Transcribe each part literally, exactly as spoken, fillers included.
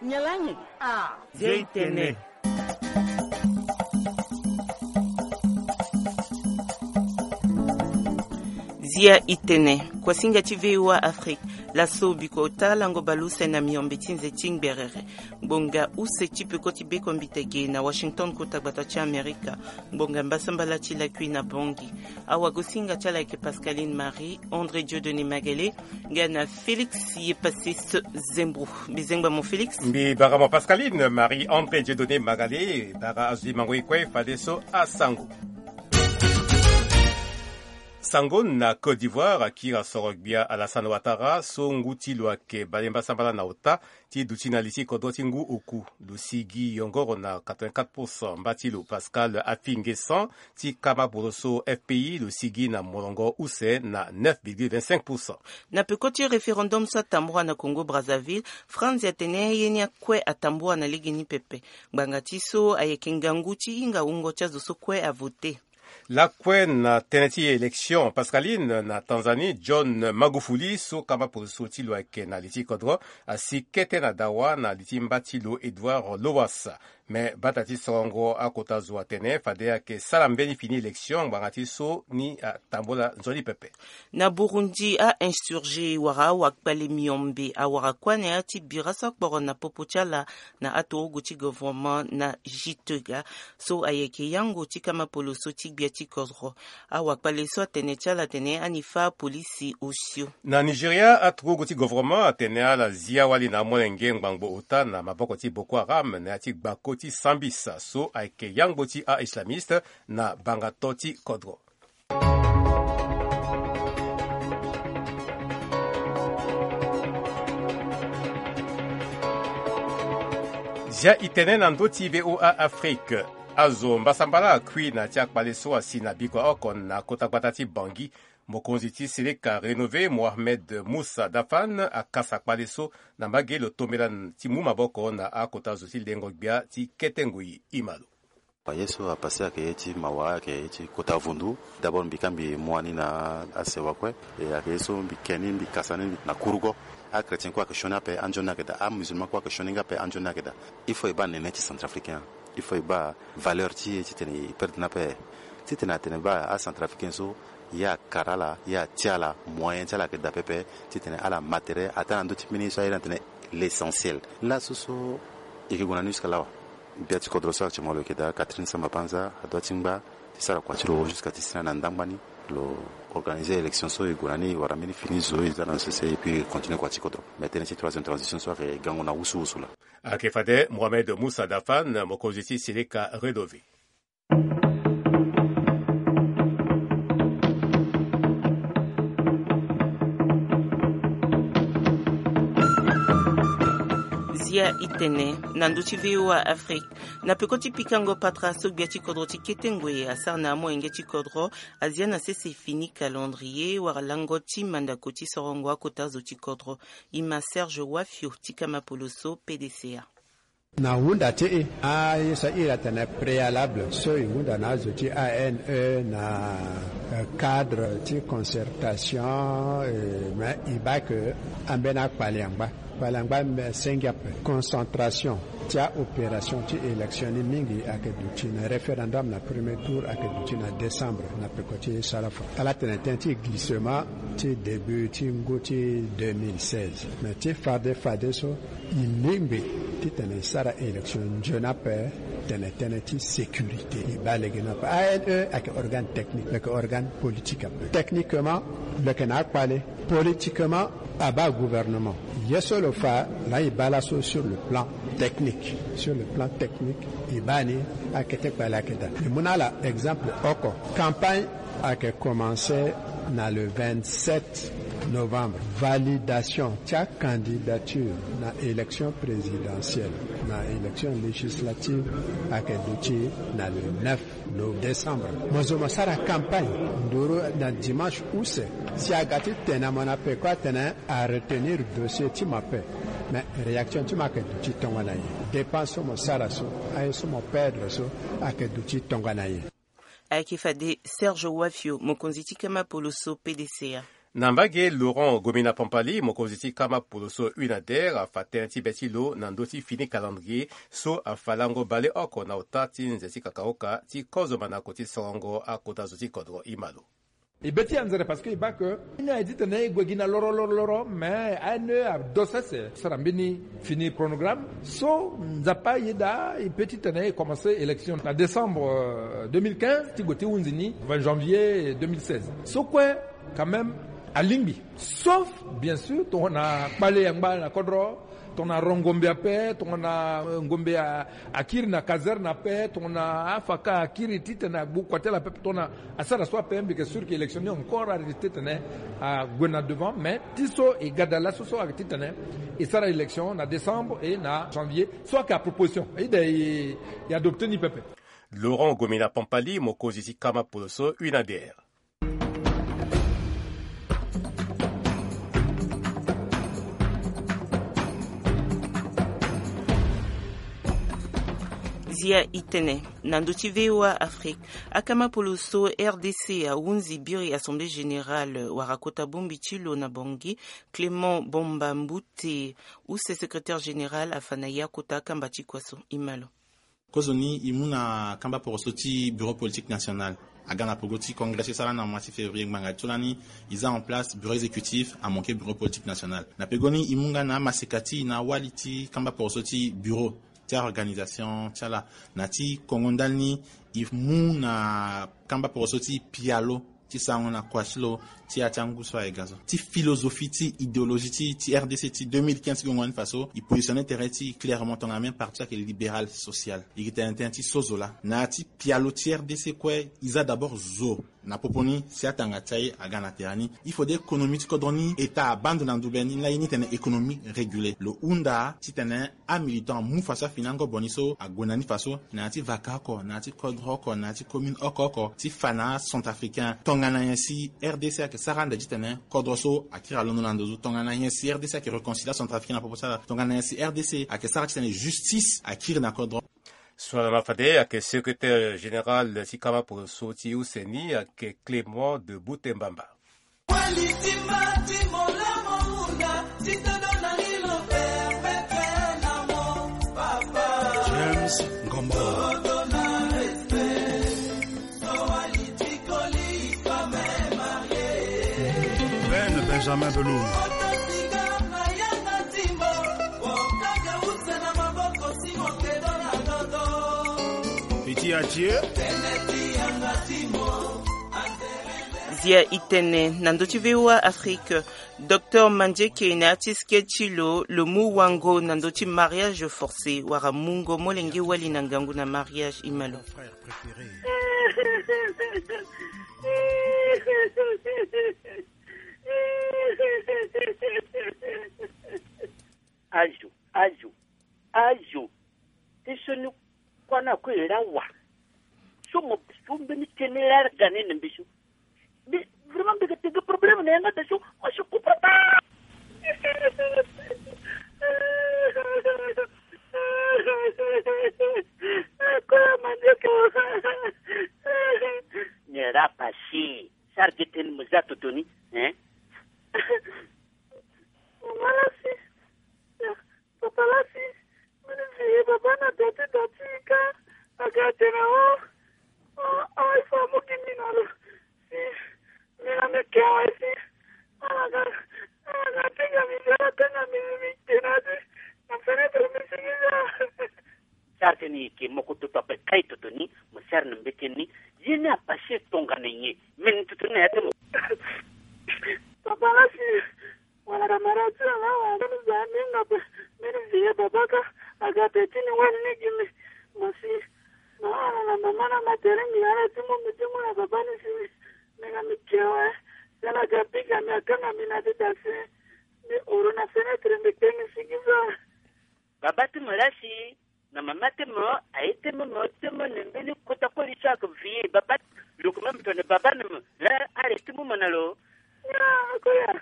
Nyalangi. Ah. Zia itene. Zia itene. Kuasinga ti V O A Afrique. Laso biko ota lango baleuse na miombe ti nze ti ngberere. Ngbonga use ti peko ti beko mbitege na Washington, kota gbata ti Amerika. Ngbonga mbasambala ti lakui na Bangui. Awagosinga ti ala ayeke Pascaline Marie, André Dieudonné Magalé, nga na Félix Yepasis Zembro. Mbi zengba mo Félix. Mbi bara mo Pascaline Marie, André Dieudonné Magalé, bara azo ti mango e kue fadeso asango. Sango na Côte d'Ivoire, akiri asoro gbia Alassane Ouattara so ngu ti lo ayeke bale mbasambala na ota ti duti na li ti kodro ti ngu oku. Lo sigi yongoro na quatre-vingt-quatre pour cent. Mba ti lo Pascal Affi N'Guessan ti kama poroso F P I, lo sigi na molongo use na neuf virgule vingt-cinq pour cent. Na peko ti référendum so atambura na Congo Brazzaville, Franz atene ye ni akue atambura na legeni pepe. Ngbanga ti so ayeke ngangu ti hinga wungo ti azo so kue avote. Lakue na tënë ti élection, Pascaline, na Tanzanie, John Magufuli so kama poroso ti lo ayeke na li ti kodro asi kete na dawa na li ti mba ti lo Edouard Lowassa. Me bata ti sorongo akota zo atene fade ayeke sara mbeni fini élection ngbanga ti so ni atambula nzoni pepe. Na Burundi, a-insurgé wala awakpale miombe awara kue na ya ti bira so akporo na popo ti ala na aturugu ti gouvernement na Gitega so ayeke yango ti kama poloso ti gbia ti kodro. Awakpale so atene ti ala atene ani fâ apolisi osio. Na Nigeria, aturugu ti gouvernement atene ala zia wali na amolenge ngbangbo ota na maboko ti Boko Haram na ya ti gbako ti sambisa so ayeke yangbo ti a-islamiste na bangato ti kodro. Zia itene na ndö ti V O A Afrique. Azo mbasambala akui na ya ti akpale so asi na bikua oko na kota gbata ti Bangui. Mokonzi ti Seleka rénové Mohamed Moussa Dafan akasa kpale so na mbage lo tombela ti mu maboko na akota zo ti lengo gbia ti kete ngoi. Ima lo. Ye so apase ayeke ye ti mawa, ayeke ye ti kota vundu. D'abord mbi ka mbi mu wani na asewa kue. E ayeke ye so mbi ke ni, mbi kasa ni na kurugo. Achrétien kue ayeke sioni ape, anzoni ayeke daa. Amusulman kue ayeke sioni nga ape, anzoni ayeke daa. Il faut e baa nene ti centrafricain. Il faut e baa valeur ti e titene e perdre ni ape. Titene atene baa acentrafricain so, ye akara ala, ye atia ala moyen ti ala ayeke daa pepe. Titene ala ma tere ataa na ndö ti mbeni ye so aye ni atene l'essentiel. Laso so e yeke gue na ni jusque là wa. Gbia ti kodro so actuellement lo yeke daa, Catherine Samba-Panza adoit ti ngba ti sara kua ti lo jusqu'à ti sara na ndangba ni. Lo organiser élection so e gue na ni wala mbeni fini zo e za na sese, et puis e continue kua ti kodro. Mais tënë ti troisième transition so ayeke gango na wusuwusu laa. Ayeke fade Mohamed Moussa Dafan, mokonzi ti Seleka rénové. Zia itene na ndö ti V O A Afrique. Na peko ti pikango patara so gbia ti kodro ti kete ngoi asara na amolenge ti kodro, azia na sese fini calendrier wala lango ti mandako ti sorongo akota zo ti kodro. Ima Serge Wafio ti kama poloso P D C A. Na hunda ti e, aye so a iri atene préalable so e hunda na azo ti A N E na, eh, cadre ti concertation, eh, me e baa ke ambeni akpale angba. Kpale angba me senge ape. Concentration ti a-opération ti élection ni mingi ayeke duti na référendum na premier tour, ayeke duti na décembre na peko ti sara fa. Ala tene tënë ti glissement ti début ti ngu ti deux mille seize. Mais ti fade fadeso, e lingbi titene e sara élection nzoni ape, tene tënë ti sécurité. E baa lege ni ape. A N E ayeke organe technique, lo yeke organe politique ape. Techniquement lo yeke na akpale. Politiquement abaa gouvernement. Ye so lo fa laa e baa laso sur le plan technique. Sur le plan technique e baa ni akete kpale ayeke daa. E mu na ala exemple oko. Campagne ayeke commencé na le vingt-sept novembre. Validation ti acandidature na élection présidentielle, na élection législative ayeke duti na le neuf no décembre. Mo zo mo sara campagne nduru na dimanche use. Si aga ti tene na mo na peko atene a retenir dossier ti mo ape. Mais réaction ti mo ayeke duti tongana nyen? Dépense so mo sara so, aye so mo perdre so, ayeke duti tongana nyen? Ayeke fade Serge Wafio, mokonzi ti kama poloso P D C A. Na mbage, Laurent Gomina Pampali, mokonzi ti kama poloso UNADER, afa tënë ti be ti lo na ndö ti fini calendrier so afa lango baleoko na ota ti nze ti kakaoka ti kozo manako ti sarango akota zo ti kodro. Imalo. E be ti anzere parce que e baa que ni aye titene e gue gi na loro loro loro, mais aye ni ado sese sara mbeni fini chronogramme so Nzapa ayeda e pe titene e commencer élection na décembre, euh, deux mille quinze ti gue ti hunzi ni vingt janvier deux mille seize. So kue, quand même, alingbi, sauf bien sûr tongana kpale angba na kodro, tongana ro ngombe ape, tongana, euh, ngombe a, akiri na caserne ape, tongana afaka akiri titene agbu kua ti ala ape, tongana asara so ape, mbi yeke sûr que élection ni encore ayeke titene ague na devant, mais ti so e ga daa laso so ayeke titene e sara élection na décembre et na janvier so ayeke à proposition. Aye daa e, e adopter ni pepe. Laurent Gomina Pampali, mokonzi ti kama poloso UNADER. Zia itene na ndö ti V O A Afrique, akama poloso R D C ahunzi biri Assemblée Générale wala kota bongbi ti lo na Bangui. Clément Bomba Mboute, use secrétaire général, afa na ya kota akamba ti kua so. Imalo. Kozoni e mu na kamba poroso ti bureau politique national aga na pogo ti congrès ti sara na mois ti février ngbanga ti so lani. E za en place bureau exécutif amoke bureau politique national. Na pegoni e mu nga na amaseka ti e na awali ti kamba poroso ti bureau ti aorganisation ti ala. Na ti kongo ndali ni, e mu na kamba poroso ti pialo ti sarango na kua ti lo ti ya ti angu so aye ga so. Ti philosophie ti idéologie ti, ti R D C ti deux mille quinze ti gongo ni faso, e positionner tere ti e clairement tongana même parti ayeke libéral social. E yeke tene tënë ti so zo laa. Na ya ti pialo ti R D C kue, e za d'abord zo na popo ni si atanga ti aye aga na tere ni. Il faut de économie ti kodro ni, état abaa ndo na ndube ni, laa ye ni tene économie régulée. Lo hunda titene amilitant amu faso afini angobo ni so ague na ni faso, na ya ti vaka oko, na ya ti kodro oko, na ya ti commune oko oko, ti fa na acentrafricain tongana nyen si R D C ayeke sara ande titene kodro so akiri alondo na ndo so, tongana nyen si R D C ayeke réconcilier acentrafricain na popo ti ala, tongana nyen si R D C ayeke sara titene justice akiri na kodro. So ala na fade ayeke secrétaire général ti kama poroso ti use ni ayeke Clément de Boutembamba. James Ngombo. Ben Benjamin Belum. Petit Atie. Zia itene na ndö ti V O A Afrique. Docteur Mandieke na ya ti sketch ti lo, lo mu wango na ndö ti mariage forcé, wala mungo molenge wali na ngangu na mariage. Imalo. Azo, azo, azo. Ti so ni kuâ na kue e ra wa. So mo so mbeni tënë larga ni na mbi so. Mbi, vraiment, mbi yeke tene problème na yanga da so. Moi, je comprends pas. Ni ra passé. Sarge tënë mo za toto ni, hein? Mama lasi. Papa lasi. Mbi ni zi baba na da ti da ti ka. Aga tene o. O, o, il faut amu gi mbi na lo. Si. Mbi na mbi ke awe si. Ala ga, ala ga tenga mbi, ala tenga mbi, mbi ke na ti. Na fenêtre mbi si mbi za. Sara tënë ni e ke moko toto ape kai toto ni, mo sara na mbeti ni. Ye ni apassé tongana nyen? Meni toto ni na ya ti mo. Papa lasi. Wala camarade ti ala, wala ni za ni nga pe. Meni vieux baba ka, aga pe ti ni wani ni gi mbi. Mo si. Na ala na mama na ma tere mbi ala ti mo, mbi ti mo na baba ni si mbi. Mbi nga mbi ke awe. Si ala ga piga mbi, akanga mbi na ti da si. Mbi horo na fenêtre, mbi ke mbi si gi za. Baba ti mo lasi. Na mama ti mo, aye ti mo, mo ti mo na mbeni kota koli so ayeke vieux baba. Lo yeke même tongana baba na mo. Là, arrêté mo mo na lo. Ah, koya.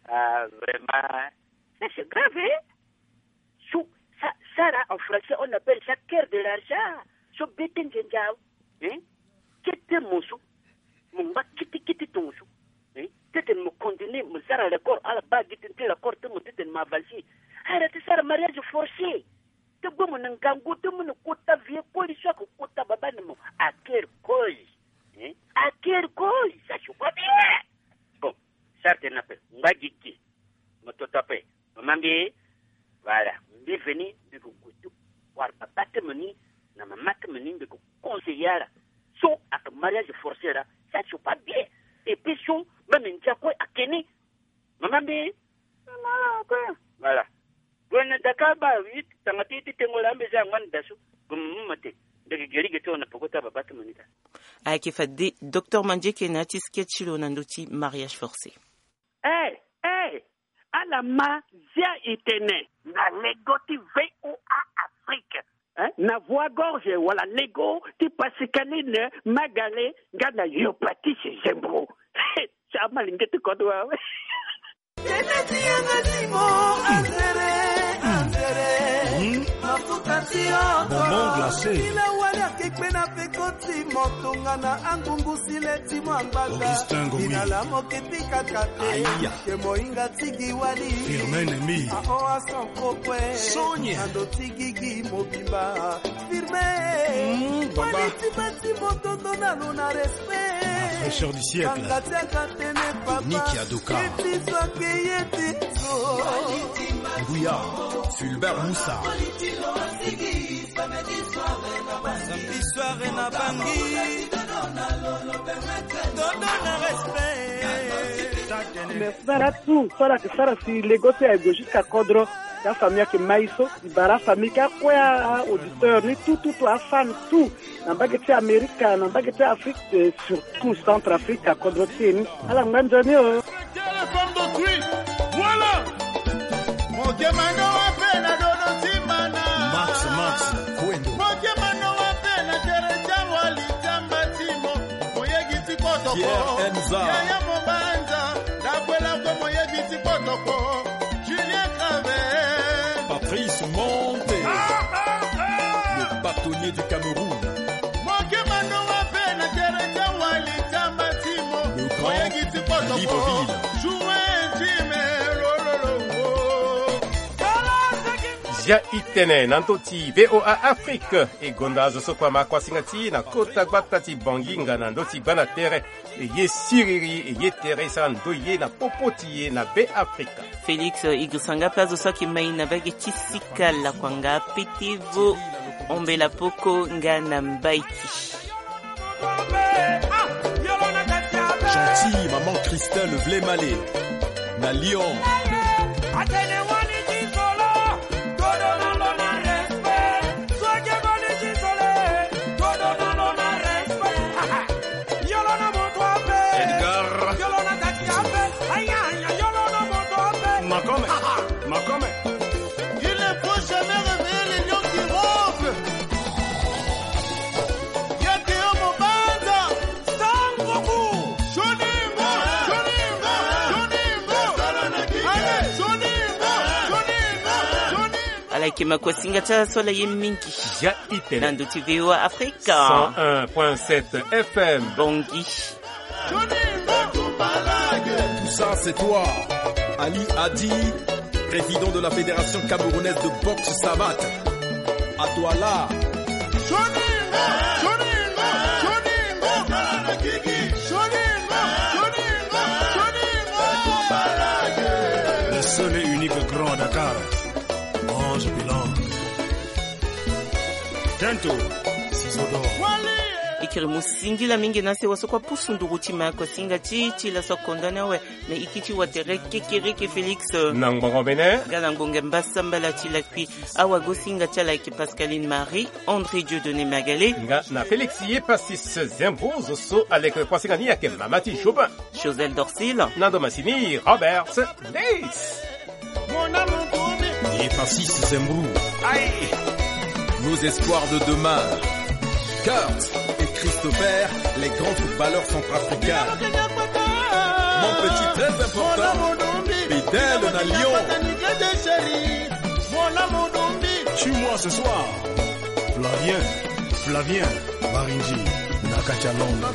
Ah, vraiment. Ça, c'est grave, hein? So, ça, ça là, en français, on appelle ça cœur de l'argent. So, bete nzenza. Hein? Kete mo so. Mo ngba kitikiti tongo so. Hein? Titene mo continuer mo sara l'accord, ala baa gi tënë ti l'accord ti mo titene mo avancer. Ala ti sara mariage forcé. Ti gbu mo na ngangu ti mo na kota vieux koli so ayeke kota babâ ni mo. À quelle cause? Hein? À quelle cause? Ça, je vois bien. Bon, sara tene ape, ngba gigi. Mo toto ape. Mama mbi, voilà, mbi veni, mbi yeke gue ti wara babâ ti mo ni na mama ti mo ni, mbi yeke conseiller ala. So ayeke mariage forcé laa, ça, je vois bien. Et puis so même ndia kue ayeke ni. Mama mbi. Voilà. Gue na daka baa, tanga ti, ti tengo laa mbi za angba na da so. Gue mo mu mo te. Mbi yeke ge li ge ti lo na peko ti ababâ ti mo ni daa. Ayeke fade docteur Mandieke na ya ti sketch ti lo na ndö ti mariage forcé. Eh, eh, ala ma Zia Itene na lego ti V O A Afrique. Hein? Na Voix Gorge wala lego ti Pascaline Magale nga na Yopatis Zembro. Ti amalenge ti kodro awe. Tene ti yanga ti mo, anzere, anzere. Hmm? Mafuta ti oko. Bonbon glacé. Ila wali ake kpe na peko ti mo, tongana angungu si le ti mo angbaza. Augustin Ngowi. Ila la mo ke ti kaka te. Aïe. Ke mo hinga ti gi wali. Firmin Nemi. Aho asan kokue. Sonia. Na ndo ti gigi mobimba. Firmin. Hmm, baba. Wali ti bâ ti mo, tondo na lo na respect. La fraîcheur du siècle. Kanga ti aka tene papa. Nick Adoka. Ye ti so ake ye ti so. Nguya, Fulbert Moussa. Samedi soir na Bangui. Todo na respect. Merci. Sara tout, so ala yeke sara si lego ti aye gue jusqu'à kodro. Ti afamille ayeke mai so. E bara afamille ti akue, a-auditeur ni tout, tout, tout, afan tout. Na mbage ti Amerika, na mbage ti Afrique, eh, surtout Centrafrique, akodro ti e ni. Ala ngba nzoni o. Téléphone de Twi. Voilà. Mokemano ape na dodo ti mana. Max, Max, Kwendo. Mokemano ape na tere ti awali ti amba ti mo. Moyegi ti kotoko. Pierre Enza. Yaya Mobanza. Dakwela ko moyegi ti kotoko. Julien Travel. Patrice Monte. Ah, ah, ah. Le bâtonnier du Cameroun. Mokemano ape na tere ti awali ti amba ti mo. Le grand Moyegi ti kotoko. Libreville. Joue ti me lo, lo, lo, oh. Zia Itene na ndö ti V O A Afrique. E gonda azo so kue ama kuasinga ti e na kota gbata ti Bangui nga na ndö ti gbanda tere. E ye siriri, e ye tere, e sara ndoye na popo ti e na Be Afrika. Félix, e girisa nga ape azo so ayeke mai na mbage ti sika lakua nga pete vo ombela poko nga na mbaiki. Gentille maman Christelle Vlemale na Lyon. Edgar. Makome. Makome. Il ne faut jamais réveiller les lions qui ronflent. Yeke yo Mobanza. Sangoku. Joningo, Joningo, Joningo. Allez, Joningo, Joningo, Joningo. Ala yeke makuasinga ti ala so ala ye mingi. Zia Itene. Na ndö ti V O A Afrique. Cent un point sept F M. Bangui. Tout ça, c'est toi. Ali Adi, président de la Fédération camerounaise de boxe savate. À Douala. Le seul et unique grand à Dakar. Ange Bilan. Tento. Sisodo. E kiri mo singila mingi na sewa so kue apusu nduru ti makuasinga ti e ti laso akonda ni awe. Na eke ti watere kekereke Félix. Na ngbongo mene. Nga na ngbongo mbasa mbala ti lakui. Awagosinga ti ala ayeke Pascaline Marie, André Dieudonné Magalé. Nga na Félix Yepasis Zembro, zo so aleke kuasinga ni ayeke mama ti Jobin. Josel Dorsil. Na ndo masini Robert Days. Yepasis Zembro. Aïe. Nos espoirs de demain. Kurt et Christopher, les grands footballeurs centrafricains. Mon petit, très important. Bedel na Lyon. Tue-moi ce soir. Flavien, Flavien, Marinji, Nakacha Londres.